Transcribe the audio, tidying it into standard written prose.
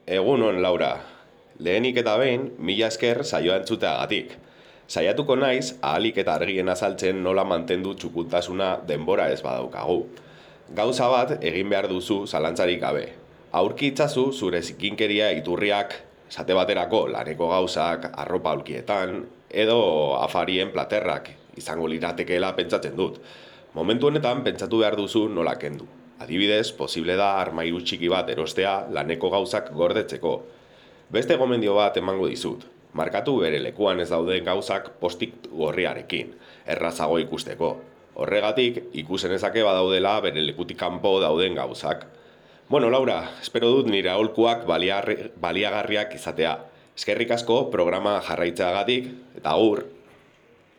Egunon, Laura. Lehenik eta behin, mila esker saioa entzuteagatik. Saiatuko naiz, ahalik eta argien azaltzen nola mantendu txukuntasuna denbora ez badaukagu. Gauza bat egin behar duzu zalantzarik gabe. Aurki itzazu zure zikinkeria iturriak, esate baterako laneko gauzak, arropa aulkietan, edo afarien platerrak, izango liratekeela pentsatzen dut. Momentu honetan pentsatu behar duzu nola kendu. Adibidez, posible da armairu txiki bat erostea laneko gauzak gordetzeko. Beste gomendio bat emango dizut. Markatu bere lekuan ez dauden gauzak postik gorriarekin, errazago ikusteko. Horregatik, ikusen ezake badaudela bere lekutik kanpo dauden gauzak. Bueno, Laura, espero dut nire aholkuak baliagarriak izatea. Eskerrik asko programa jarraitzeagatik eta agur.